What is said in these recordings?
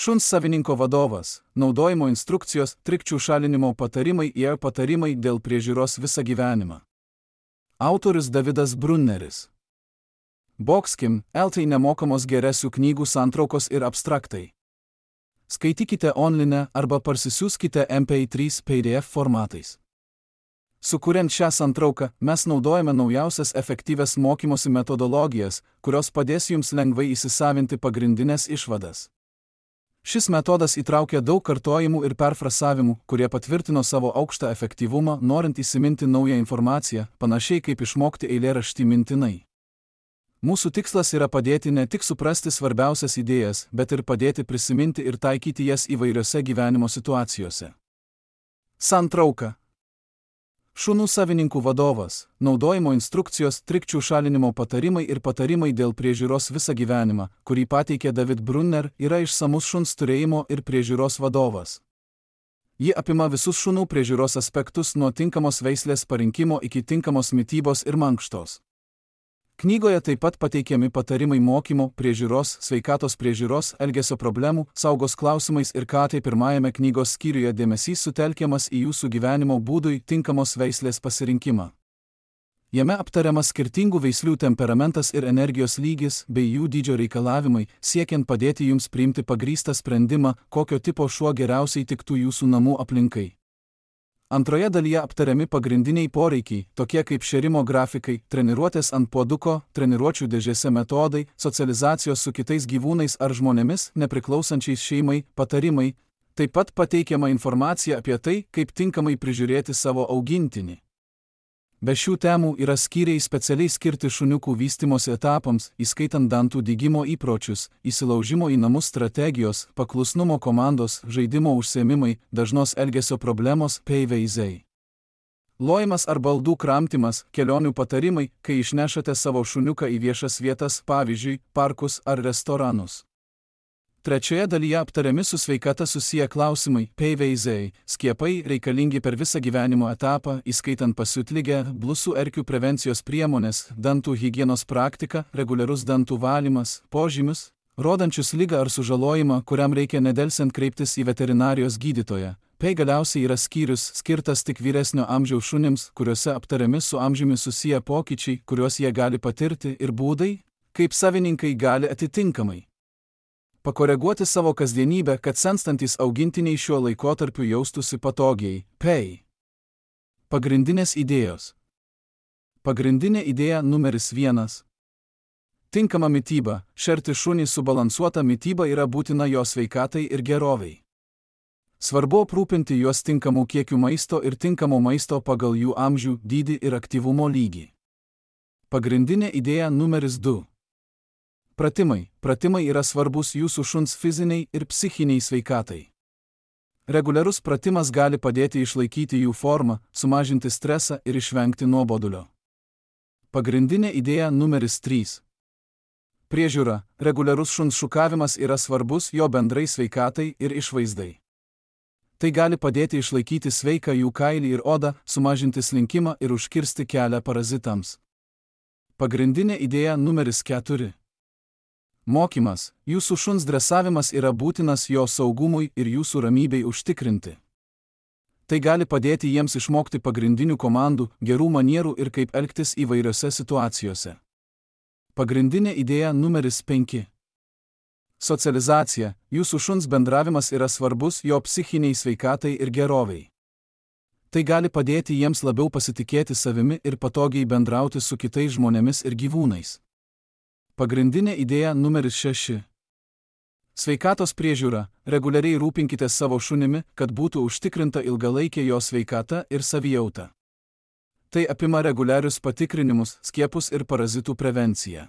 Šuns savininko vadovas, naudojimo instrukcijos, trikdžių šalinimo patarimai ir patarimai dėl priežiūros visą gyvenimą. Autorius Davidas Brunneris. Boxkim, LT nemokamos geresių knygų santraukos ir abstraktai. Skaitykite online arba parsisiųskite MP3 PDF formatais. Sukuriant šią santrauką, mes naudojame naujausias efektyvias mokymosi metodologijas, kurios padės jums lengvai įsisavinti pagrindinės išvadas. Šis metodas įtraukia daug kartojimų ir perfrasavimų, kurie patvirtino savo aukštą efektyvumą, norint įsiminti naują informaciją, panašiai kaip išmokti eilėraštį mintinai. Mūsų tikslas yra padėti ne tik suprasti svarbiausias idėjas, bet ir padėti prisiminti ir taikyti jas įvairiose gyvenimo situacijose. Santrauka. Šunų savininkų vadovas, naudojimo instrukcijos, trikdžių šalinimo patarimai ir patarimai dėl priežiūros visą gyvenimą, kurį pateikė David Brunner, yra išsamus šuns turėjimo ir priežiūros vadovas. Ji apima visus šunų priežiūros aspektus nuo tinkamos veislės parinkimo iki tinkamos mitybos ir mankštos. Knygoje taip pat pateikiami patarimai mokymo, priežiūros, sveikatos priežiūros, elgesio problemų, saugos klausimais ir tai pirmajame knygos skyriuje dėmesys sutelkiamas į jūsų gyvenimo būdui tinkamos veislės pasirinkimą. Jame aptariamas skirtingų veislių temperamentas ir energijos lygis bei jų dydžio reikalavimai, siekiant padėti jums priimti pagrįstą sprendimą, kokio tipo šuo geriausiai tiktų jūsų namų aplinkai. Antroje dalyje aptariami pagrindiniai poreikiai, tokie kaip šėrimo grafikai, treniruotės ant puoduko, treniruočių dėžėse metodai, socializacijos su kitais gyvūnais ar žmonėmis, nepriklausančiais šeimai, patarimai, taip pat pateikiama informacija apie tai, kaip tinkamai prižiūrėti savo augintinį. Be šių temų yra skyriai specialiai skirti šuniukų vystymosi etapams, įskaitant dantų dygimo įpročius, įsilaužimo į namus strategijos, paklusnumo komandos, žaidimo užsiėmimai, dažnos elgesio problemos, veizai. Lojimas ar baldų kramtymas, kelionių patarimai, kai išnešate savo šuniuką į viešas vietas, pavyzdžiui, parkus ar restoranus. Trečioje dalyje aptariami su sveikata susiję klausimai, veizai, skiepai reikalingi per visą gyvenimo etapą, įskaitant pasiutligę, blusų erkių prevencijos priemonės, dantų higienos praktika, reguliarus dantų valymas, požymius, rodančius ligą ar sužalojimą, kuriam reikia nedelsiant kreiptis į veterinarijos gydytoją. Galiausiai yra skyrius skirtas tik vyresnio amžiaus šunims, kuriuose aptariami su amžiumi susiję pokyčiai, kuriuos jie gali patirti, ir būdai, kaip savininkai gali atitinkamai pakoreguoti savo kasdienybę, kad senstantys augintiniai šiuo laikotarpiu jaustųsi patogiai. Pagrindinės idėjos. Pagrindinė idėja numeris 1. Tinkama mityba. Šerti šunį subalansuota mityba yra būtina jo sveikatai ir gerovei. Svarbu aprūpinti juos tinkamų kiekių maisto ir tinkamo maisto pagal jų amžių, dydį ir aktyvumo lygį. Pagrindinė idėja numeris 2. Pratimai. Pratimai yra svarbus jūsų šuns fiziniai ir psichiniai sveikatai. Reguliarus pratimas gali padėti išlaikyti jų formą, sumažinti stresą ir išvengti nuobodulio. Pagrindinė idėja numeris 3. Priežiūra. Reguliarus šuns šukavimas yra svarbus jo bendrai sveikatai ir išvaizdai. Tai gali padėti išlaikyti sveiką jų kailį ir odą, sumažinti slinkimą ir užkirsti kelią parazitams. Pagrindinė idėja numeris 4. Mokymas. Jūsų šuns dresavimas yra būtinas jo saugumui ir jūsų ramybei užtikrinti. Tai gali padėti jiems išmokti pagrindinių komandų, gerų manierų ir kaip elgtis įvairiose situacijose. Pagrindinė idėja numeris 5. Socializacija. Jūsų šuns bendravimas yra svarbus jo psichiniai sveikatai ir gerovei. Tai gali padėti jiems labiau pasitikėti savimi ir patogiai bendrauti su kitais žmonėmis ir gyvūnais. Pagrindinė idėja numeris 6. Sveikatos priežiūra. Reguliariai rūpinkite savo šunimi, kad būtų užtikrinta ilgalaikė jo sveikata ir savijauta. Tai apima reguliarius patikrinimus, skiepus ir parazitų prevenciją.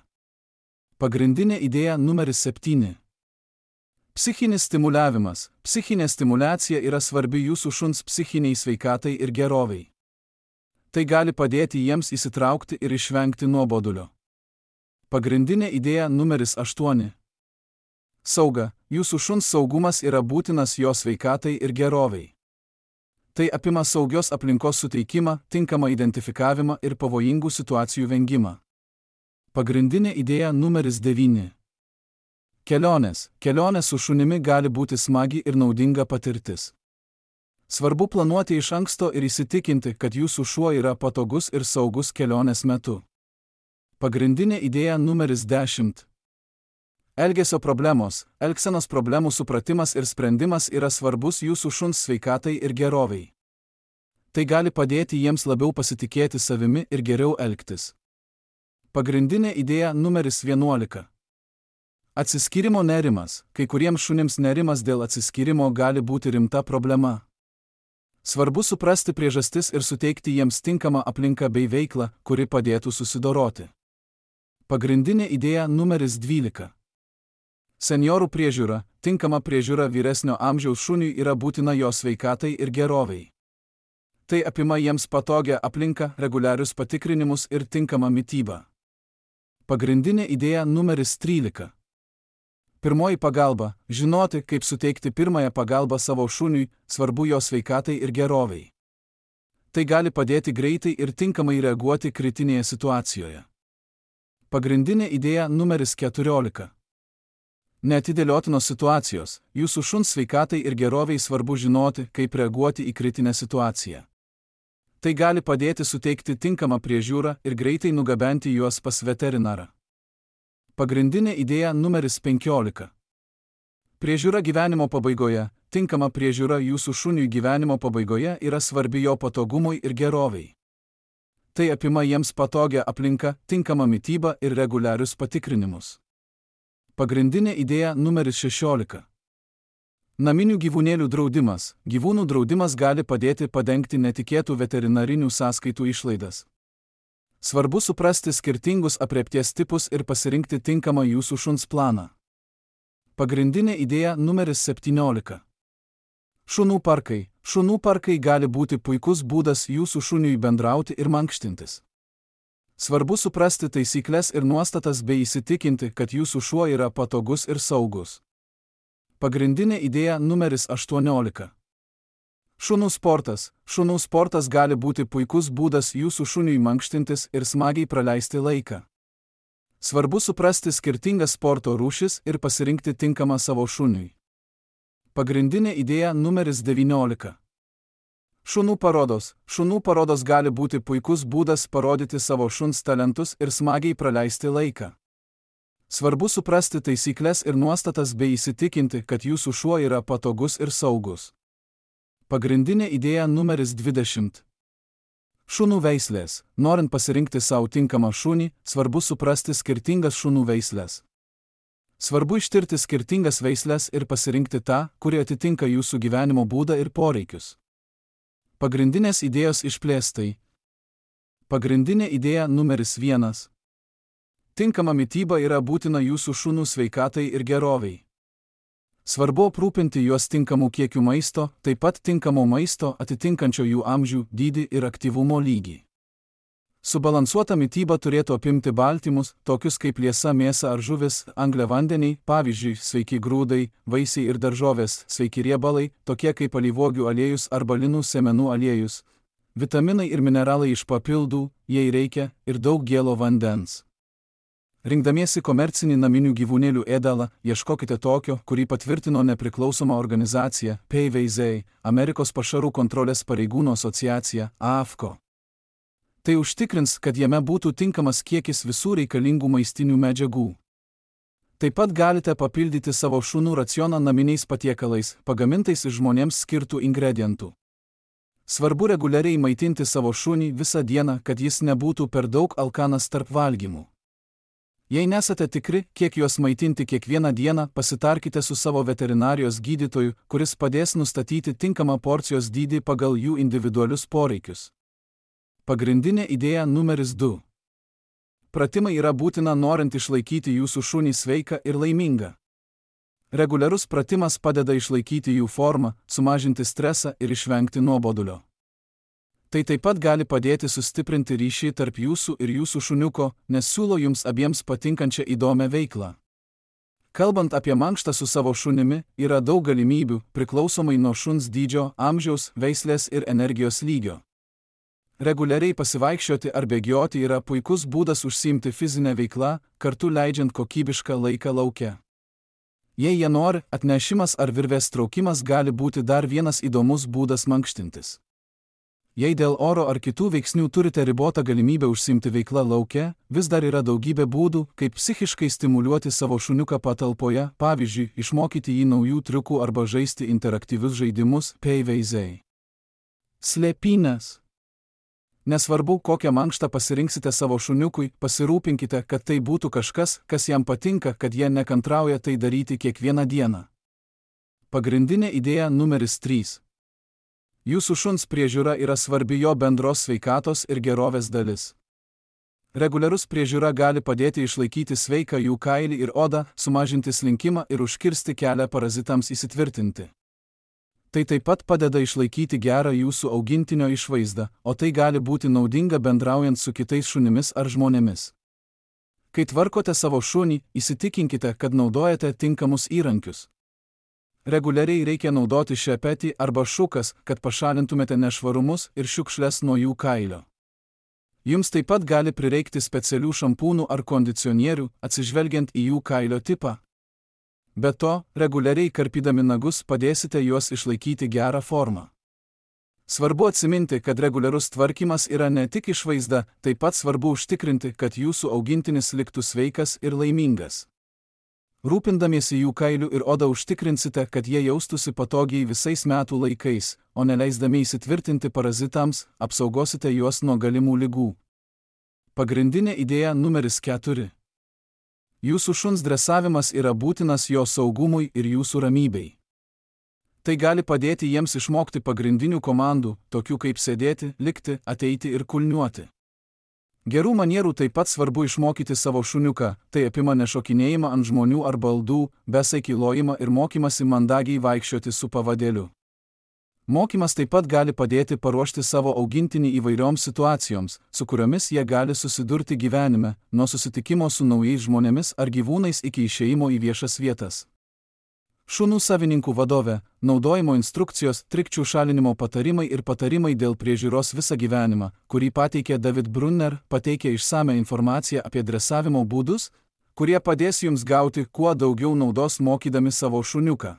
Pagrindinė idėja numeris 7. Psichinis stimuliavimas. Psichinė stimulacija yra svarbi jūsų šuns psichiniai sveikatai ir gerovei. Tai gali padėti jiems įsitraukti ir išvengti nuobodulio. Pagrindinė idėja numeris 8. Sauga. Jūsų šuns saugumas yra būtinas jo sveikatai ir gerovei. Tai apima saugios aplinkos suteikimą, tinkamą identifikavimą ir pavojingų situacijų vengimą. Pagrindinė idėja numeris 9. Kelionė su šunimi gali būti smagi ir naudinga patirtis. Svarbu planuoti iš anksto ir įsitikinti, kad jūsų šuo yra patogus ir saugus kelionės metu. Pagrindinė idėja numeris 10. Elgesio problemos, elgsenos problemų supratimas ir sprendimas yra svarbus jūsų šuns sveikatai ir gerovei. Tai gali padėti jiems labiau pasitikėti savimi ir geriau elgtis. Pagrindinė idėja numeris 11. Atsiskyrimo nerimas. Kai kuriems šunims nerimas dėl atsiskyrimo gali būti rimta problema. Svarbu suprasti priežastis ir suteikti jiems tinkamą aplinką bei veiklą, kuri padėtų susidoroti. Pagrindinė idėja numeris 12. Senjorų priežiūra. Tinkama priežiūra vyresnio amžiaus šuniui yra būtina jo sveikatai ir gerovei. Tai apima jiems patogią aplinką, reguliarius patikrinimus ir tinkamą mitybą. Pagrindinė idėja numeris 13. Pirmoji pagalba. Žinoti, kaip suteikti pirmąją pagalbą savo šuniui, svarbu jo sveikatai ir gerovei. Tai gali padėti greitai ir tinkamai reaguoti kritinėje situacijoje. Pagrindinė idėja numeris 14. Neatidėliotinos situacijos. Jūsų šuns sveikatai ir gerovei svarbu žinoti, kaip reaguoti į kritinę situaciją. Tai gali padėti suteikti tinkamą priežiūrą ir greitai nugabenti juos pas veterinarą. Pagrindinė idėja numeris 15. Priežiūra gyvenimo pabaigoje. Tinkama priežiūra jūsų šuniui gyvenimo pabaigoje yra svarbi jo patogumui ir gerovei. Tai apima jiems patogią aplinką, tinkamą mitybą ir reguliarius patikrinimus. Pagrindinė idėja numeris 16. Naminių gyvūnėlių draudimas. Gyvūnų draudimas gali padėti padengti netikėtų veterinarinių sąskaitų išlaidas. Svarbu suprasti skirtingus aprėpties tipus ir pasirinkti tinkamą jūsų šuns planą. Pagrindinė idėja numeris 17. Šunų parkai. Šunų parkai gali būti puikus būdas jūsų šuniui bendrauti ir mankštintis. Svarbu suprasti taisyklės ir nuostatas bei įsitikinti, kad jūsų šuo yra patogus ir saugus. Pagrindinė idėja numeris 18. Šunų sportas. Šunų sportas gali būti puikus būdas jūsų šuniui mankštintis ir smagiai praleisti laiką. Svarbu suprasti skirtingas sporto rūšis ir pasirinkti tinkamą savo šuniui. Pagrindinė idėja numeris 19. Šunų parodos. Šunų parodos gali būti puikus būdas parodyti savo šuns talentus ir smagiai praleisti laiką. Svarbu suprasti taisyklės ir nuostatas bei įsitikinti, kad jūsų šuo yra patogus ir saugus. Pagrindinė idėja numeris 20. Šunų veislės. Norint pasirinkti savo tinkamą šunį, svarbu suprasti skirtingas šunų veislės. Svarbu ištirti skirtingas veislės ir pasirinkti tą, kuri atitinka jūsų gyvenimo būdą ir poreikius. Pagrindinės idėjos išplėstai. Pagrindinė idėja numeris 1. Tinkama mityba yra būtina jūsų šunų sveikatai ir gerovei. Svarbu aprūpinti juos tinkamų kiekių maisto, taip pat tinkamo maisto atitinkančio jų amžių, dydį ir aktyvumo lygį. Subalansuota mityba turėtų apimti baltymus, tokius kaip liesa mėsa ar žuvis, angliavandeniai, pavyzdžiui, sveiki grūdai, vaisiai ir daržovės, sveiki riebalai, tokie kaip alyvuogių aliejus arba linų sėmenų aliejus, vitaminai ir mineralai iš papildų, jei reikia, ir daug gėlo vandens. Rinkdamiesi komercinį naminių gyvūnėlių ėdalą, ieškokite tokio, kurį patvirtino nepriklausoma organizacija PVZ, Amerikos pašarų kontrolės pareigūnų asociacija, AAFCO. Tai užtikrins, kad jame būtų tinkamas kiekis visų reikalingų maistinių medžiagų. Taip pat galite papildyti savo šunų racioną naminiais patiekalais, pagamintais iš žmonėms skirtų ingredientų. Svarbu reguliariai maitinti savo šunį visą dieną, kad jis nebūtų per daug alkanas tarp valgymų. Jei nesate tikri, kiek juos maitinti kiekvieną dieną, pasitarkite su savo veterinarijos gydytoju, kuris padės nustatyti tinkamą porcijos dydį pagal jų individualius poreikius. Pagrindinė idėja numeris 2. Pratimai yra būtina norint išlaikyti jūsų šunį sveiką ir laimingą. Reguliarus pratimas padeda išlaikyti jų formą, sumažinti stresą ir išvengti nuobodulio. Tai taip pat gali padėti sustiprinti ryšį tarp jūsų ir jūsų šuniuko, nes siūlo jums abiems patinkančią įdomią veiklą. Kalbant apie mankštą su savo šunimi, yra daug galimybių, priklausomai nuo šuns dydžio, amžiaus, veislės ir energijos lygio. Reguliariai pasivaikščioti ar bėgioti yra puikus būdas užsiimti fizinę veiklą, kartu leidžiant kokybišką laiką lauke. Jei jie nori, atnešimas ar virvės traukimas gali būti dar vienas įdomus būdas mankštintis. Jei dėl oro ar kitų veiksnių turite ribotą galimybę užsiimti veiklą lauke, vis dar yra daugybė būdų, kaip psichiškai stimuliuoti savo šuniuką patalpoje, pavyzdžiui, išmokyti jį naujų triukų arba žaisti interaktyvius žaidimus, peiveizei. Slėpynės. Nesvarbu, kokią mankštą pasirinksite savo šuniukui, pasirūpinkite, kad tai būtų kažkas, kas jam patinka, kad jie nekantrauja tai daryti kiekvieną dieną. Pagrindinė idėja numeris 3. Jūsų šuns priežiūra yra svarbi jo bendros sveikatos ir gerovės dalis. Reguliarus priežiūra gali padėti išlaikyti sveiką jų kailį ir odą, sumažinti slinkimą ir užkirsti kelią parazitams įsitvirtinti. Tai taip pat padeda išlaikyti gerą jūsų augintinio išvaizdą, o tai gali būti naudinga bendraujant su kitais šunimis ar žmonėmis. Kai tvarkote savo šunį, įsitikinkite, kad naudojate tinkamus įrankius. Reguliariai reikia naudoti šepetį arba šukas, kad pašalintumėte nešvarumus ir šiukšles nuo jų kailio. Jums taip pat gali prireikti specialių šampūnų ar kondicionierių, atsižvelgiant į jų kailio tipą. Be to, reguliariai karpydami nagus padėsite juos išlaikyti gerą formą. Svarbu atsiminti, kad reguliarus tvarkymas yra ne tik išvaizda, taip pat svarbu užtikrinti, kad jūsų augintinis liktų sveikas ir laimingas. Rūpindamiesi jų kailiu ir oda užtikrinsite, kad jie jaustųsi patogiai visais metų laikais, o neleisdami įsitvirtinti parazitams, apsaugosite juos nuo galimų ligų. Pagrindinė idėja numeris 4. Jūsų šuns dresavimas yra būtinas jo saugumui ir jūsų ramybei. Tai gali padėti jiems išmokti pagrindinių komandų, tokių kaip sėdėti, likti, ateiti ir kulniuoti. Gerų manierų taip pat svarbu išmokyti savo šuniuką, tai apima nešokinėjimą ant žmonių ar baldų, besaikį lojimą ir mokymasi mandagiai vaikščioti su pavadėliu. Mokymas taip pat gali padėti paruošti savo augintinį įvairioms situacijoms, su kuriomis jie gali susidurti gyvenime, nuo susitikimo su naujais žmonėmis ar gyvūnais iki išėjimo į viešas vietas. Šunų savininkų vadovė, naudojimo instrukcijos, trikdžių šalinimo patarimai ir patarimai dėl priežiūros visą gyvenimą, kurį pateikė David Brunner, pateikė išsamią informaciją apie dresavimo būdus, kurie padės jums gauti kuo daugiau naudos mokydami savo šuniuką.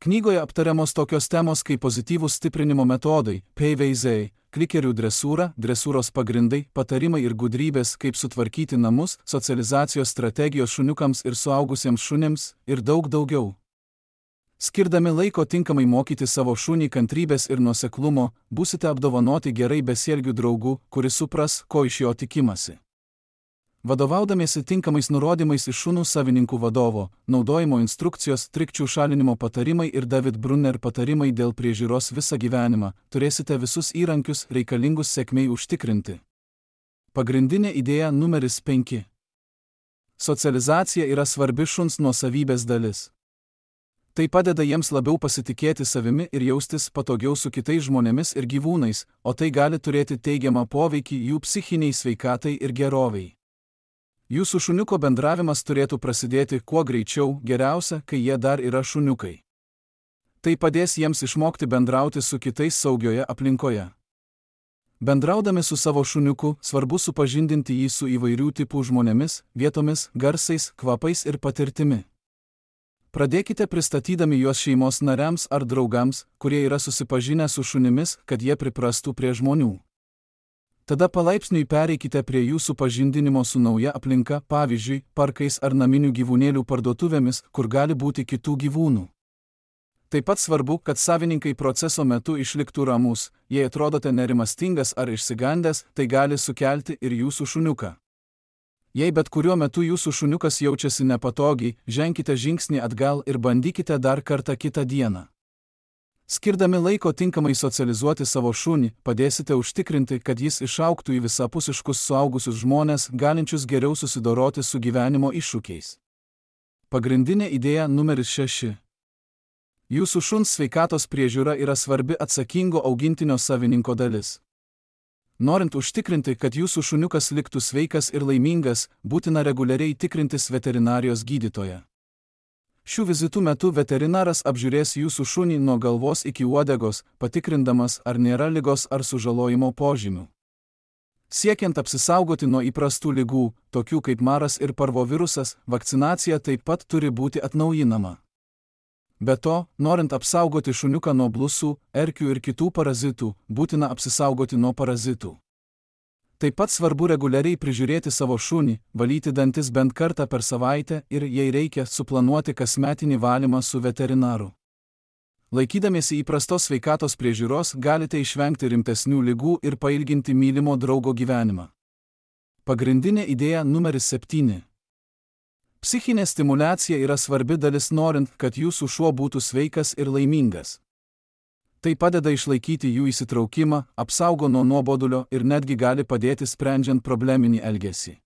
Knygoje aptariamos tokios temos kaip pozityvūs stiprinimo metodai, peiveizei, klikerių dresūra, dresūros pagrindai, patarimai ir gudrybės, kaip sutvarkyti namus, socializacijos strategijos šuniukams ir suaugusiems šunims ir daug daugiau. Skirdami laiko tinkamai mokyti savo šunį kantrybės ir nuoseklumo, būsite apdovanoti gerai besielgių draugų, kuris supras, ko iš jo tikimasi. Vadovaudamiesi tinkamais nurodymais iš šunų savininkų vadovo, naudojimo instrukcijos, trikdžių šalinimo patarimai ir David Brunner patarimai dėl priežiūros visą gyvenimą, turėsite visus įrankius reikalingus sėkmei užtikrinti. Pagrindinė idėja numeris 5. Socializacija yra svarbi šuns nuosavybės dalis. Tai padeda jiems labiau pasitikėti savimi ir jaustis patogiau su kitais žmonėmis ir gyvūnais, o tai gali turėti teigiamą poveikį jų psichiniai sveikatai ir gerovei. Jūsų šuniuko bendravimas turėtų prasidėti kuo greičiau, geriausia, kai jie dar yra šuniukai. Tai padės jiems išmokti bendrauti su kitais saugioje aplinkoje. Bendraudami su savo šuniuku, svarbu supažindinti jį su įvairių tipų žmonėmis, vietomis, garsais, kvapais ir patirtimi. Pradėkite pristatydami juos šeimos nariams ar draugams, kurie yra susipažinę su šunimis, kad jie priprastų prie žmonių. Tada palaipsniui pereikite prie jų supažindinimo su nauja aplinka, pavyzdžiui, parkais ar naminių gyvūnėlių parduotuvėmis, kur gali būti kitų gyvūnų. Taip pat svarbu, kad savininkai proceso metu išliktų ramus, jei atrodote nerimastingas ar išsigandęs, tai gali sukelti ir jūsų šuniuką. Jei bet kuriuo metu jūsų šuniukas jaučiasi nepatogiai, ženkite žingsnį atgal ir bandykite dar kartą kitą dieną. Skirdami laiko tinkamai socializuoti savo šunį, padėsite užtikrinti, kad jis išaugtų į visapusiškus suaugusius žmones, galinčius geriau susidoroti su gyvenimo iššūkiais. Pagrindinė idėja numeris 6. Jūsų šuns sveikatos priežiūra yra svarbi atsakingo augintinio savininko dalis. Norint užtikrinti, kad jūsų šuniukas liktų sveikas ir laimingas, būtina reguliariai tikrintis veterinarijos gydytoją. Šių vizitų metu veterinaras apžiūrės jūsų šunį nuo galvos iki uodegos, patikrindamas, ar nėra ligos ar sužalojimo požymių. Siekiant apsisaugoti nuo įprastų ligų, tokių kaip maras ir parvovirusas, vakcinacija taip pat turi būti atnaujinama. Be to, norint apsaugoti šuniuką nuo blusų, erkių ir kitų parazitų, būtina apsisaugoti nuo parazitų. Taip pat svarbu reguliariai prižiūrėti savo šunį, valyti dantis bent kartą per savaitę ir, jei reikia, suplanuoti kasmetinį valymą su veterinaru. Laikydamiesi įprastos sveikatos priežiūros galite išvengti rimtesnių ligų ir pailginti mylimo draugo gyvenimą. Pagrindinė idėja numeris 7. Psichinė stimuliacija yra svarbi dalis norint, kad jūsų šuo būtų sveikas ir laimingas. Tai padeda išlaikyti jų įsitraukimą, apsaugo nuo nuobodulio ir netgi gali padėti sprendžiant probleminį elgesį.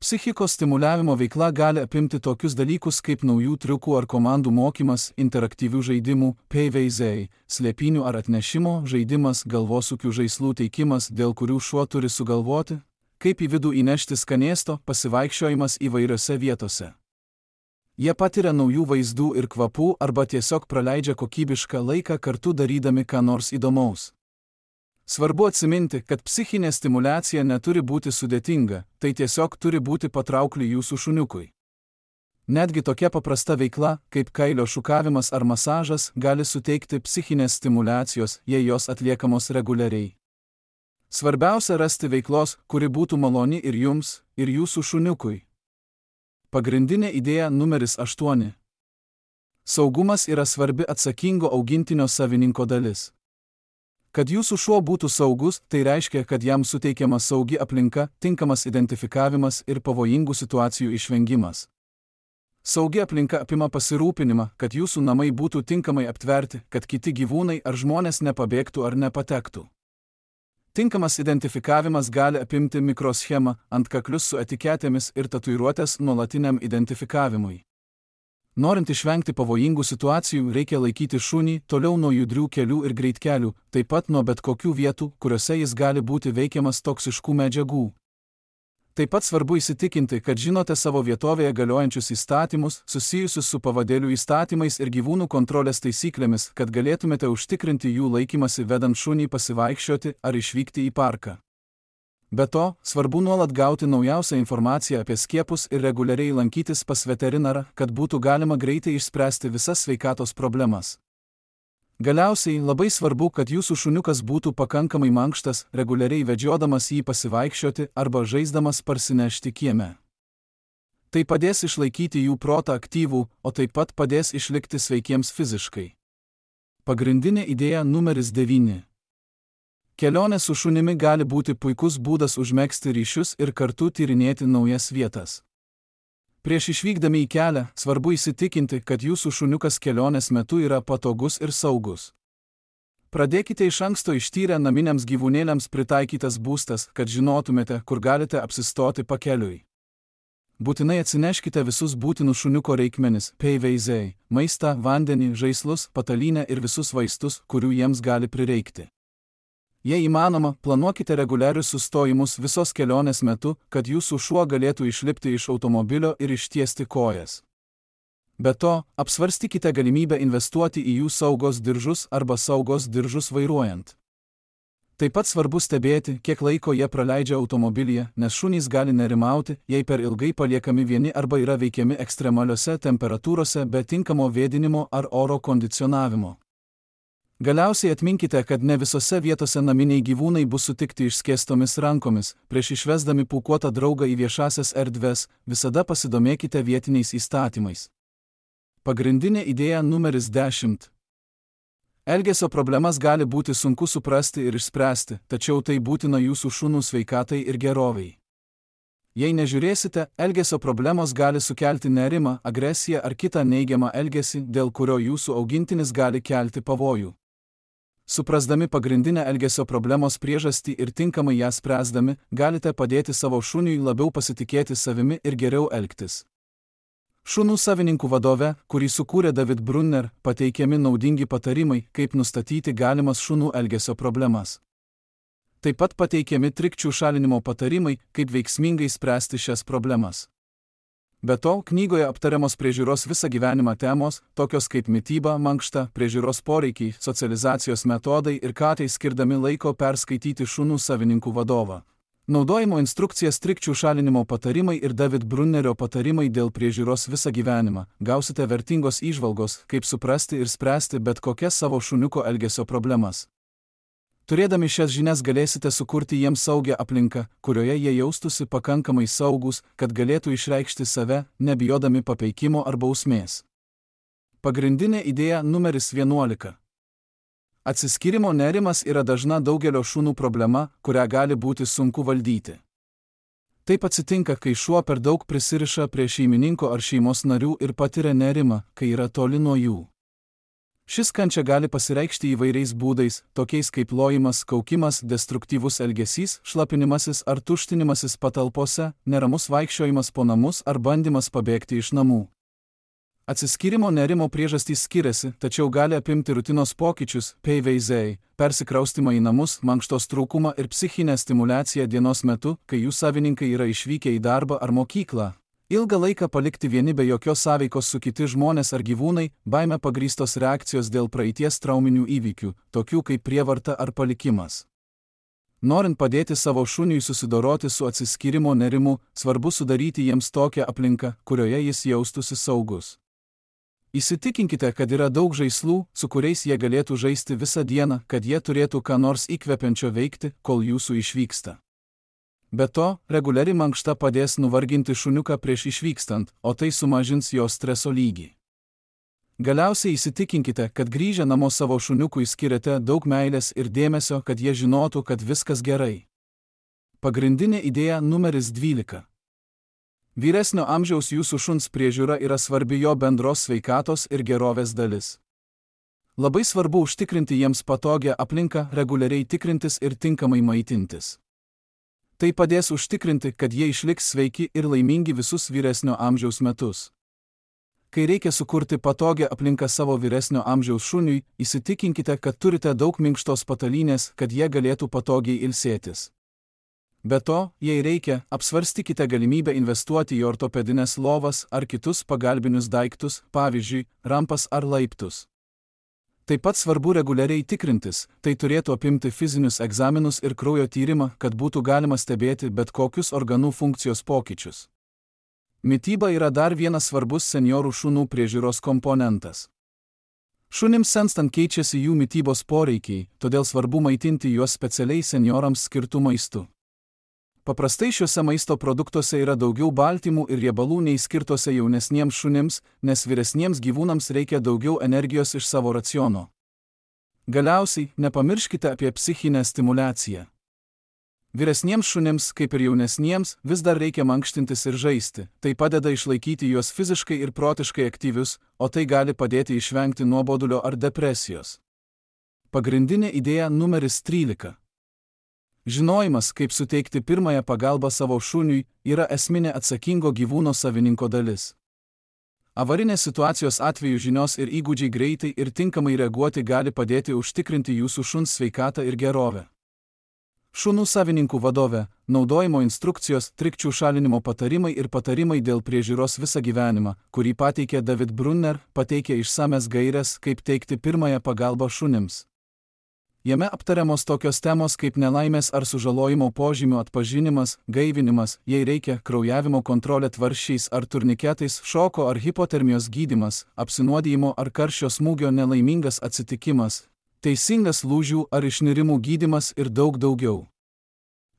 Psichikos stimuliavimo veikla gali apimti tokius dalykus kaip naujų triukų ar komandų mokymas, interaktyvių žaidimų, PVZ, slėpynių ar atnešimo žaidimas, galvosūkių žaislų teikimas, dėl kurių šuo turi sugalvoti, kaip į vidų įnešti skanėsto, pasivaikščiojimas įvairiose vietose. Jie patiria naujų vaizdų ir kvapų arba tiesiog praleidžia kokybišką laiką kartu darydami ką nors įdomaus. Svarbu atsiminti, kad psichinė stimuliacija neturi būti sudėtinga, tai tiesiog turi būti patraukli jūsų šuniukui. Netgi tokia paprasta veikla, kaip kailio šukavimas ar masažas, gali suteikti psichinės stimuliacijos, jei jos atliekamos reguliariai. Svarbiausia rasti veiklos, kuri būtų maloni ir jums, ir jūsų šuniukui. Pagrindinė idėja numeris 8. Saugumas yra svarbi atsakingo augintinio savininko dalis. Kad jūsų šuo būtų saugus, tai reiškia, kad jam suteikiama saugi aplinka, tinkamas identifikavimas ir pavojingų situacijų išvengimas. Saugi aplinka apima pasirūpinimą, kad jūsų namai būtų tinkamai aptverti, kad kiti gyvūnai ar žmonės nepabėgtų ar nepatektų. Tinkamas identifikavimas gali apimti mikroschemą, antkaklius su etiketėmis ir tatuiruotės nuolatiniam identifikavimui. Norint išvengti pavojingų situacijų, reikia laikyti šunį toliau nuo judrių kelių ir greitkelių, taip pat nuo bet kokių vietų, kuriuose jis gali būti veikiamas toksiškų medžiagų. Taip pat svarbu įsitikinti, kad žinote savo vietovėje galiojančius įstatymus, susijusius su pavadėlių įstatymais ir gyvūnų kontrolės taisyklėmis, kad galėtumėte užtikrinti jų laikymasi vedant šunį pasivaikščioti ar išvykti į parką. Be to, svarbu nuolat gauti naujausią informaciją apie skiepus ir reguliariai lankytis pas veterinarą, kad būtų galima greitai išspręsti visas sveikatos problemas. Galiausiai labai svarbu, kad jūsų šuniukas būtų pakankamai mankštas, reguliariai vedžiodamas jį pasivaikščioti arba žaisdamas parsinešti kieme. Tai padės išlaikyti jų protą aktyvų, o taip pat padės išlikti sveikiems fiziškai. Pagrindinė idėja numeris 9. Kelionė su šunimi gali būti puikus būdas užmegzti ryšius ir kartu tyrinėti naujas vietas. Prieš išvykdami į kelią, svarbu įsitikinti, kad jūsų šuniukas kelionės metu yra patogus ir saugus. Pradėkite iš anksto ištyrę naminiams gyvūnėliams pritaikytas būstas, kad žinotumėte, kur galite apsistoti pakeliui. Būtinai atsineškite visus būtinus šuniuko reikmenis, PVZ, maistą, vandenį, žaislus, patalynę ir visus vaistus, kurių jiems gali prireikti. Jei įmanoma, planuokite reguliarius sustojimus visos kelionės metu, kad jūsų šuo galėtų išlipti iš automobilio ir ištiesti kojas. Be to, apsvarstykite galimybę investuoti į jų saugos diržus arba saugos diržus vairuojant. Taip pat svarbu stebėti, kiek laiko jie praleidžia automobilyje, nes šunys gali nerimauti, jei per ilgai paliekami vieni arba yra veikiami ekstremaliose temperatūrose be tinkamo vėdinimo ar oro kondicionavimo. Galiausiai atminkite, kad ne visose vietose naminiai gyvūnai bus sutikti išskėstomis rankomis. Prieš išvesdami pūkuotą draugą į viešasias erdves, visada pasidomėkite vietiniais įstatymais. Pagrindinė idėja numeris 10. Elgesio problemas gali būti sunku suprasti ir išspręsti, tačiau tai būtina jūsų šunų sveikatai ir gerovei. Jei nežiūrėsite, elgesio problemos gali sukelti nerimą, agresiją ar kitą neigiamą elgesį, dėl kurio jūsų augintinis gali kelti pavojų. Suprasdami pagrindinę elgesio problemos priežastį ir tinkamai ją spręsdami, galite padėti savo šuniui labiau pasitikėti savimi ir geriau elgtis. Šunų savininkų vadove, kurį sukūrė David Brunner, pateikiami naudingi patarimai, kaip nustatyti galimas šunų elgesio problemas. Taip pat pateikiami trikdžių šalinimo patarimai, kaip veiksmingai spręsti šias problemas. Be to, knygoje aptariamos priežiūros visą gyvenimą temos, tokios kaip mityba, mankšta, priežiūros poreikiai, socializacijos metodai ir katei skirdami laiko perskaityti šunų savininkų vadovą. Naudojimo instrukcijas, trikdžių šalinimo patarimai ir David Brunnerio patarimai dėl priežiūros visą gyvenimą. Gausite vertingos įžvalgos, kaip suprasti ir spręsti bet kokias savo šuniuko elgesio problemas. Turėdami šias žinias galėsite sukurti jiems saugią aplinką, kurioje jie jaustųsi pakankamai saugūs, kad galėtų išreikšti save, nebijodami papeikimo ar bausmės. Pagrindinė idėja numeris 11. Atsiskyrimo nerimas yra dažna daugelio šunų problema, kurią gali būti sunku valdyti. Taip atsitinka, kai šuo per daug prisiriša prie šeimininko ar šeimos narių ir patiria nerimą, kai yra toli nuo jų. Šis kančia gali pasireikšti įvairiais būdais, tokiais kaip lojimas, kaukimas, destruktyvus elgesys, šlapinimasis ar tuštinimasis patalpose, neramus vaikščiojimas po namus ar bandymas pabėgti iš namų. Atsiskyrimo nerimo priežastys skiriasi, tačiau gali apimti rutinos pokyčius, PVZ, persikraustymą į namus, mankštos trūkumą ir psichinę stimulaciją dienos metu, kai jų savininkai yra išvykę į darbą ar mokyklą. Ilgą laiką palikti vieni be jokios sąveikos su kiti žmonės ar gyvūnai, baime pagrįstos reakcijos dėl praeities trauminių įvykių, tokių kaip prievarta ar palikimas. Norint padėti savo šuniui susidoroti su atsiskyrimo nerimu, svarbu sudaryti jiems tokią aplinką, kurioje jis jaustųsi saugus. Įsitikinkite, kad yra daug žaislų, su kuriais jie galėtų žaisti visą dieną, kad jie turėtų ką nors įkvepiančio veikti, kol jūsų išvyksta. Be to, reguliari mankšta padės nuvarginti šuniuką prieš išvykstant, o tai sumažins jo streso lygį. Galiausiai įsitikinkite, kad grįžę namo savo šuniukui skiriate daug meilės ir dėmesio, kad jie žinotų, kad viskas gerai. Pagrindinė idėja numeris 12. Vyresnio amžiaus jūsų šuns priežiūra yra svarbi jo bendros sveikatos ir gerovės dalis. Labai svarbu užtikrinti jiems patogią aplinką, reguliariai tikrintis ir tinkamai maitintis. Tai padės užtikrinti, kad jie išliks sveiki ir laimingi visus vyresnio amžiaus metus. Kai reikia sukurti patogią aplinką savo vyresnio amžiaus šuniui, įsitikinkite, kad turite daug minkštos patalynės, kad jie galėtų patogiai ilsėtis. Be to, jei reikia, apsvarstykite galimybę investuoti į ortopedines lovas ar kitus pagalbinius daiktus, pavyzdžiui, rampas ar laiptus. Taip pat svarbu reguliariai tikrintis, tai turėtų apimti fizinius egzaminus ir kraujo tyrimą, kad būtų galima stebėti bet kokius organų funkcijos pokyčius. Mityba yra dar vienas svarbus senjorų šunų priežiūros komponentas. Šunims senstant keičiasi jų mitybos poreikiai, todėl svarbu maitinti juos specialiai senjorams skirtų maistu. Paprastai šiuose maisto produktuose yra daugiau baltymų ir riebalų nei skirtose jaunesniems šunims, nes vyresniems gyvūnams reikia daugiau energijos iš savo raciono. Galiausiai, nepamirškite apie psichinę stimulaciją. Vyresniems šunims, kaip ir jaunesniems, vis dar reikia mankštintis ir žaisti, tai padeda išlaikyti juos fiziškai ir protiškai aktyvius, o tai gali padėti išvengti nuobodulio ar depresijos. Pagrindinė idėja numeris 13. Žinojimas, kaip suteikti pirmąją pagalbą savo šuniui, yra esminė atsakingo gyvūno savininko dalis. Avarinės situacijos atveju žinios ir įgūdžiai greitai ir tinkamai reaguoti gali padėti užtikrinti jūsų šuns sveikatą ir gerovę. Šunų savininkų vadovė, naudojimo instrukcijos, trikdžių šalinimo patarimai ir patarimai dėl priežiūros visą gyvenimą, kurį pateikė David Brunner, pateikė išsames gaires, kaip teikti pirmąją pagalbą šunims. Jame aptariamos tokios temos kaip nelaimės ar sužalojimo požymių atpažinimas, gaivinimas, jei reikia, kraujavimo kontrolė tvarsčiais ar turniketais, šoko ar hipotermijos gydymas, apsinuodijimo ar karščio smūgio nelaimingas atsitikimas, teisingas lūžių ar išnirimų gydymas ir daug daugiau.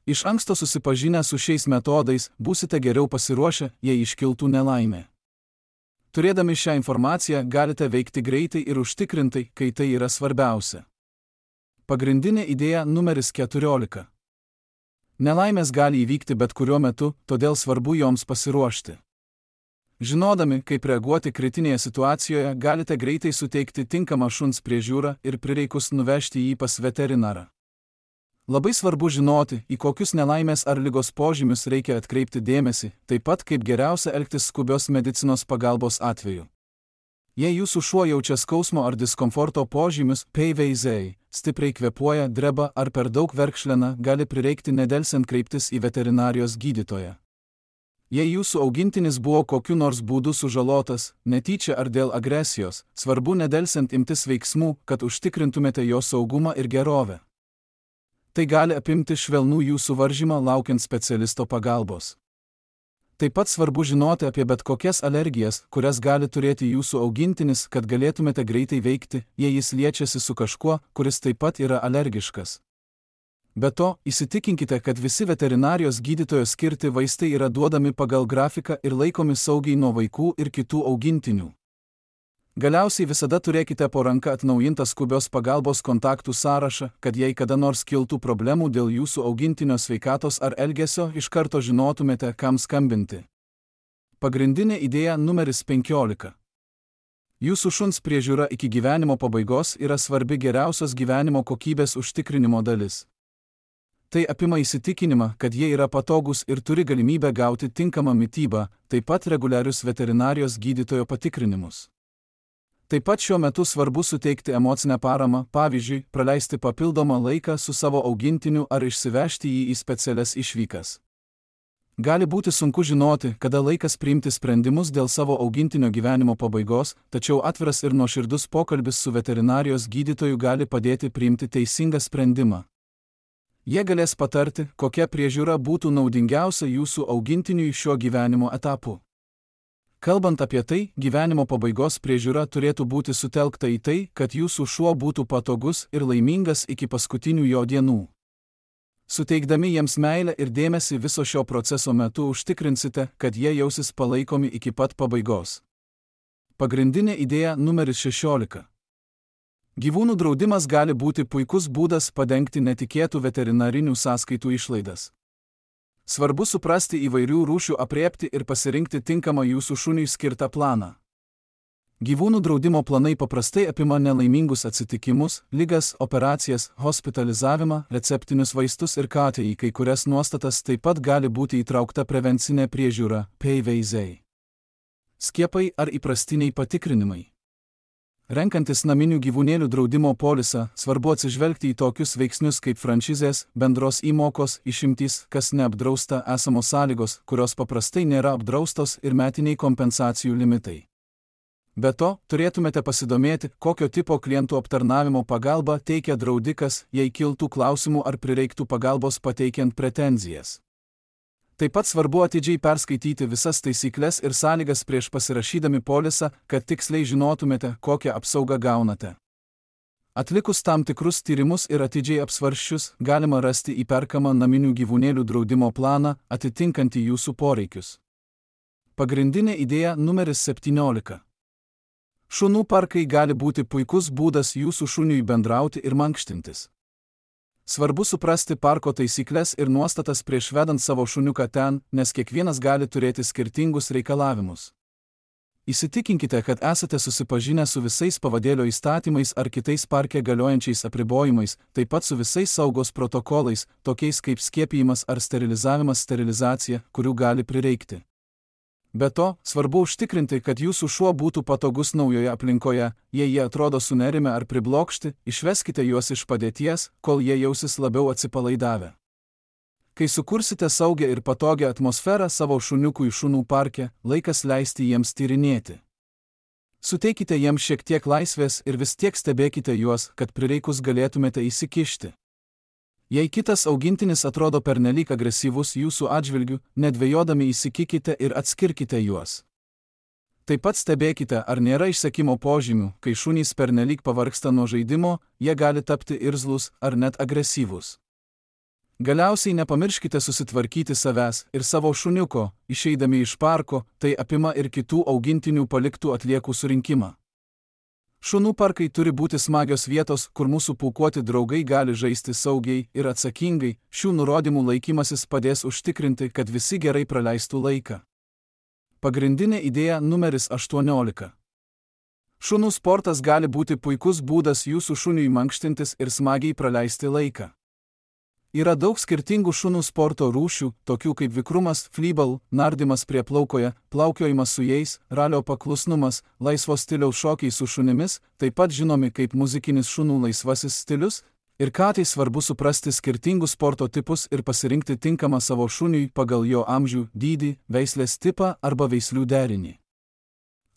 Iš anksto susipažinę su šiais metodais, būsite geriau pasiruošę, jei iškiltų nelaimė. Turėdami šią informaciją, galite veikti greitai ir užtikrintai, kai tai yra svarbiausia. Pagrindinė idėja numeris 14. Nelaimės gali įvykti bet kuriuo metu, todėl svarbu joms pasiruošti. Žinodami, kaip reaguoti kritinėje situacijoje, galite greitai suteikti tinkamą šuns priežiūrą ir prireikus nuvežti jį pas veterinarą. Labai svarbu žinoti, į kokius nelaimės ar ligos požymius reikia atkreipti dėmesį, taip pat kaip geriausia elgtis skubios medicinos pagalbos atveju. Jei jūsų šuo jaučia skausmo ar diskomforto požymius, PVZ, stipriai kvėpuoja, dreba ar per daug verkšlena, gali prireikti nedelsiant kreiptis į veterinarijos gydytoją. Jei jūsų augintinis buvo kokiu nors būdu sužalotas, netyčia ar dėl agresijos, svarbu nedelsiant imtis veiksmų, kad užtikrintumėte jo saugumą ir gerovę. Tai gali apimti švelnų jūsų varžymą laukiant specialisto pagalbos. Taip pat svarbu žinoti apie bet kokias alergijas, kurias gali turėti jūsų augintinis, kad galėtumėte greitai veikti, jei jis liečiasi su kažkuo, kuris taip pat yra alergiškas. Be to, įsitikinkite, kad visi veterinarijos gydytojo skirti vaistai yra duodami pagal grafiką ir laikomi saugiai nuo vaikų ir kitų augintinių. Galiausiai visada turėkite po ranka atnaujintą skubios pagalbos kontaktų sąrašą, kad jei kada nors kiltų problemų dėl jūsų augintinio sveikatos ar elgesio, iš karto žinotumėte, kam skambinti. Pagrindinė idėja numeris 15. Jūsų šuns priežiūra iki gyvenimo pabaigos yra svarbi geriausios gyvenimo kokybės užtikrinimo dalis. Tai apima įsitikinimą, kad jie yra patogūs ir turi galimybę gauti tinkamą mitybą, taip pat reguliarius veterinarijos gydytojo patikrinimus. Taip pat šiuo metu svarbu suteikti emocinę paramą, pavyzdžiui, praleisti papildomą laiką su savo augintiniu ar išsivežti jį į specialias išvykas. Gali būti sunku žinoti, kada laikas priimti sprendimus dėl savo augintinio gyvenimo pabaigos, tačiau atviras ir nuoširdus pokalbis su veterinarijos gydytoju gali padėti priimti teisingą sprendimą. Jie galės patarti, kokia priežiūra būtų naudingiausia jūsų augintiniui šiuo gyvenimo etapu. Kalbant apie tai, gyvenimo pabaigos priežiūra turėtų būti sutelkta į tai, kad jūsų šuo būtų patogus ir laimingas iki paskutinių jo dienų. Suteikdami jiems meilę ir dėmesį viso šio proceso metu užtikrinsite, kad jie jausis palaikomi iki pat pabaigos. Pagrindinė idėja numeris 16. Gyvūnų draudimas gali būti puikus būdas padengti netikėtų veterinarinių sąskaitų išlaidas. Svarbu suprasti įvairių rūšių aprėpti ir pasirinkti tinkamą jūsų šuniui skirtą planą. Gyvūnų draudimo planai paprastai apima nelaimingus atsitikimus, ligas, operacijas, hospitalizavimą, receptinius vaistus ir KTI, kai kurias nuostatas taip pat gali būti įtraukta prevencinė priežiūra, PVZ. Skiepai ar įprastiniai patikrinimai. Renkantis naminių gyvūnėlių draudimo polisą, svarbu atsižvelgti į tokius veiksnius kaip franšizės, bendros įmokos, išimtys, kas neapdrausta, esamos sąlygos, kurios paprastai nėra apdraustos ir metiniai kompensacijų limitai. Be to, turėtumėte pasidomėti, kokio tipo klientų aptarnavimo pagalbą teikia draudikas, jei kiltų klausimų ar prireiktų pagalbos pateikiant pretenzijas. Taip pat svarbu atidžiai perskaityti visas taisykles ir sąlygas prieš pasirašydami polisą, kad tiksliai žinotumėte, kokią apsaugą gaunate. Atlikus tam tikrus tyrimus ir atidžiai apsvarsčius, galima rasti įperkamą naminių gyvūnėlių draudimo planą, atitinkantį jūsų poreikius. Pagrindinė idėja numeris 17. Šunų parkai gali būti puikus būdas jūsų šuniui bendrauti ir mankštintis. Svarbu suprasti parko taisyklės ir nuostatas prieš vedant savo šuniuką ten, nes kiekvienas gali turėti skirtingus reikalavimus. Įsitikinkite, kad esate susipažinę su visais pavadėlio įstatymais ar kitais parke galiojančiais apribojimais, taip pat su visais saugos protokolais, tokiais kaip skiepijimas ar sterilizacija, kurių gali prireikti. Be to, svarbu užtikrinti, kad jūsų šuo būtų patogus naujoje aplinkoje, jei jie atrodo sunerimę ar priblokšti, išveskite juos iš padėties, kol jie jausis labiau atsipalaidavę. Kai sukursite saugią ir patogią atmosferą savo šuniukui šunų parke, laikas leisti jiems tyrinėti. Suteikite jiems šiek tiek laisvės ir vis tiek stebėkite juos, kad prireikus galėtumėte įsikišti. Jei kitas augintinis atrodo pernelyg agresyvus jūsų atžvilgiu, nedvejodami įsikikite ir atskirkite juos. Taip pat stebėkite, ar nėra išsekimo požymių, kai šunys pernelyg pavargsta nuo žaidimo, jie gali tapti irzlūs ar net agresyvūs. Galiausiai nepamirškite susitvarkyti savęs ir savo šuniuko, išeidami iš parko, tai apima ir kitų augintinių paliktų atliekų surinkimą. Šunų parkai turi būti smagios vietos, kur mūsų pūkuoti draugai gali žaisti saugiai ir atsakingai, šių nurodymų laikymasis padės užtikrinti, kad visi gerai praleistų laiką. Pagrindinė idėja numeris 18. Šunų sportas gali būti puikus būdas jūsų šuniui mankštintis ir smagiai praleisti laiką. Yra daug skirtingų šunų sporto rūšių, tokių kaip vikrumas, flyball, nardymas prie plaukoje, plaukiojimas su jais, ralio paklusnumas, laisvo stiliaus šokiai su šunimis, taip pat žinomi kaip muzikinis šunų laisvasis stilius, ir ką tai svarbu suprasti skirtingus sporto tipus ir pasirinkti tinkamą savo šuniui pagal jo amžių, dydį, veislės tipą arba veislių derinį.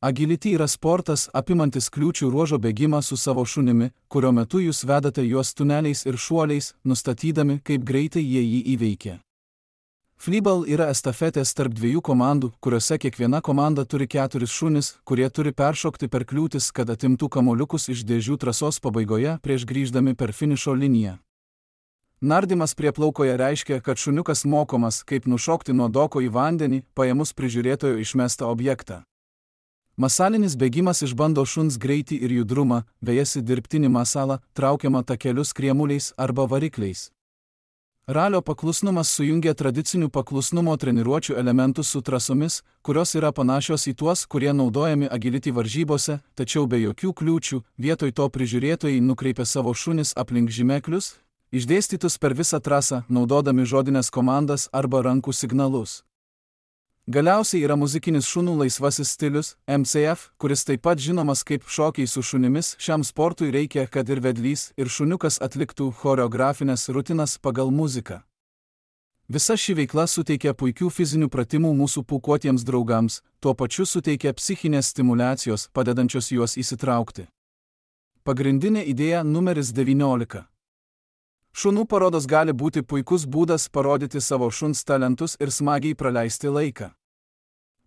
Agility yra sportas apimantis kliūčių ruožo bėgimą su savo šunimi, kurio metu jūs vedate juos tuneliais ir šuoliais, nustatydami, kaip greitai jie jį įveikia. Flyball yra estafetės tarp dviejų komandų, kuriuose kiekviena komanda turi 4 šunis, kurie turi peršokti per kliūtis, kad atimtų kamuoliukus iš dėžių trasos pabaigoje prieš grįždami per finišo liniją. Nardymas prie plaukoje reiškia, kad šuniukas mokomas, kaip nušokti nuo doko į vandenį, paėmus prižiūrėtojo išmestą objektą. Masalinis bėgimas išbando šuns greitį ir judrumą, vejasi dirbtinį masalą, traukiamą takeliu kriemuliais arba varikliais. Ralio paklusnumas sujungia tradicinių paklusnumo treniruočių elementus su trasomis, kurios yra panašios į tuos, kurie naudojami agility varžybose, tačiau be jokių kliūčių, vietoj to prižiūrėtojai nukreipia savo šunis aplink žymeklius, išdėstytus per visą trasą, naudodami žodinės komandas arba rankų signalus. Galiausiai yra muzikinis šunų laisvasis stilius, MCF, kuris taip pat žinomas kaip šokiai su šunimis. Šiam sportui reikia, kad ir vedlys, ir šuniukas atliktų choreografinės rutinas pagal muziką. Visa ši veikla suteikia puikių fizinių pratimų mūsų pūkuotiems draugams, tuo pačiu suteikia psichinės stimulacijos, padedančios juos įsitraukti. Pagrindinė idėja numeris 19. Šunų parodos gali būti puikus būdas parodyti savo šuns talentus ir smagiai praleisti laiką.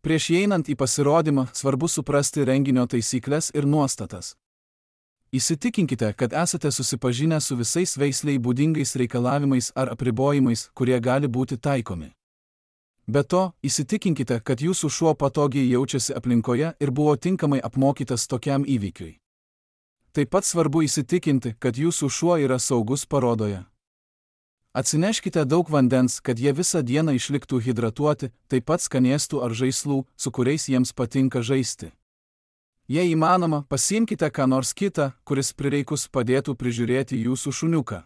Prieš įeinant į pasirodymą, svarbu suprasti renginio taisyklės ir nuostatas. Įsitikinkite, kad esate susipažinę su visais veisliai būdingais reikalavimais ar apribojimais, kurie gali būti taikomi. Be to, įsitikinkite, kad jūsų šuo patogiai jaučiasi aplinkoje ir buvo tinkamai apmokytas tokiam įvykiui. Taip pat svarbu įsitikinti, kad jūsų šuo yra saugus parodoje. Atsineškite daug vandens, kad jie visą dieną išliktų hidratuoti, taip pat skanėstų ar žaislų, su kuriais jiems patinka žaisti. Jei įmanoma, pasiimkite ką nors kitą, kuris prireikus padėtų prižiūrėti jūsų šuniuką.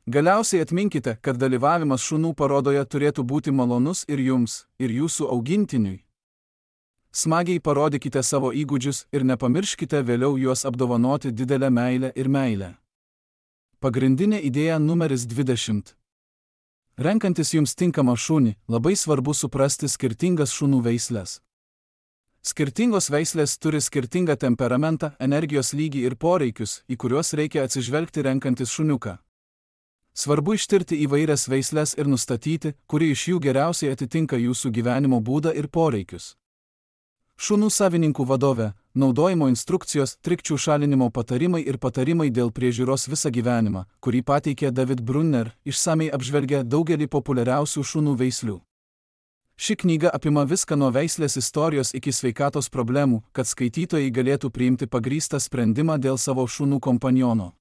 Galiausiai atminkite, kad dalyvavimas šunų parodoje turėtų būti malonus ir jums, ir jūsų augintiniui. Smagiai parodykite savo įgūdžius ir nepamirškite vėliau juos apdovanoti didelę meilę ir meilę. Pagrindinė idėja numeris 20. Renkantis jums tinkamą šunį, labai svarbu suprasti skirtingas šunų veislės. Skirtingos veislės turi skirtingą temperamentą, energijos lygį ir poreikius, į kuriuos reikia atsižvelgti renkantis šuniuką. Svarbu ištirti įvairias veislės ir nustatyti, kuri iš jų geriausiai atitinka jūsų gyvenimo būdą ir poreikius. Šunų savininkų vadovė, naudojimo instrukcijos, trikdžių šalinimo patarimai ir patarimai dėl priežiūros visą gyvenimą, kurį pateikė David Brunner, išsamiai apžvelgia daugelį populiariausių šunų veislių. Ši knyga apima viską nuo veislės istorijos iki sveikatos problemų, kad skaitytojai galėtų priimti pagrįstą sprendimą dėl savo šunų kompaniono.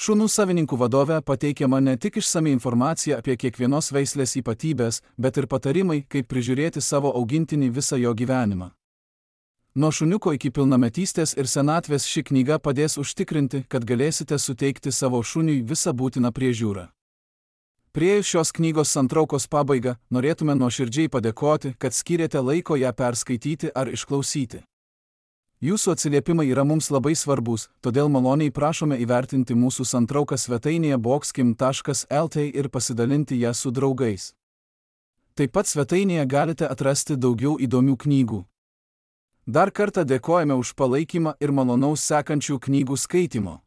Šunų savininkų vadovė pateikiama ne tik išsami informacija apie kiekvienos veislės ypatybės, bet ir patarimai, kaip prižiūrėti savo augintinį visą jo gyvenimą. Nuo šuniuko iki pilnametystės ir senatvės ši knyga padės užtikrinti, kad galėsite suteikti savo šuniui visą būtiną priežiūrą. Priėjus šios knygos santraukos pabaigą, norėtume nuoširdžiai padėkoti, kad skyrėte laiko ją perskaityti ar išklausyti. Jūsų atsiliepimai yra mums labai svarbus, todėl maloniai prašome įvertinti mūsų santrauką svetainėje boxkim.lt ir pasidalinti ją su draugais. Taip pat svetainėje galite atrasti daugiau įdomių knygų. Dar kartą dėkojame už palaikymą ir malonaus sekančių knygų skaitimo.